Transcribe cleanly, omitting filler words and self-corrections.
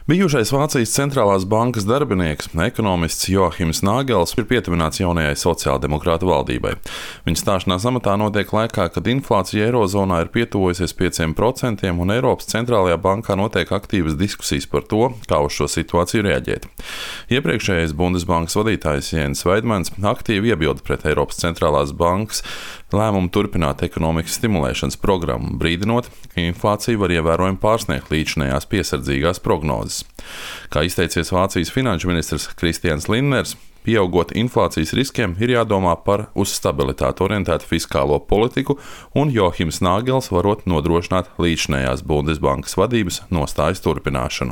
Bijušais Vācijas centrālās bankas darbinieks, ekonomists Joachims Nāgels ir pietuvināts jaunajai sociāldemokrātu valdībai. Viņa stāšanās amatā notiek laikā, kad inflācija Eirozonā ir pietuvojusies 5% un Eiropas centrālajā bankā notiek aktīvas diskusijas par to, kā uz šo situāciju reaģēt. Iepriekšējais Bundesbankas vadītājs Jens Weidmans aktīvi iebilda pret Eiropas centrālās bankas lēmumu turpināt ekonomikas stimulēšanas programmu, brīdinot, ka inflācija var ievērojami pārsniegt līdzinējās piesardzīgās prognozes. Kā izteicies Vācijas finanšu ministrs Kristians Linners, pieaugot inflācijas riskiem ir jādomā par uz stabilitāti orientētu fiskālo politiku, un Joachims Nāgels varot nodrošināt līdzinējās Bundesbankas vadības nostājas turpināšanu.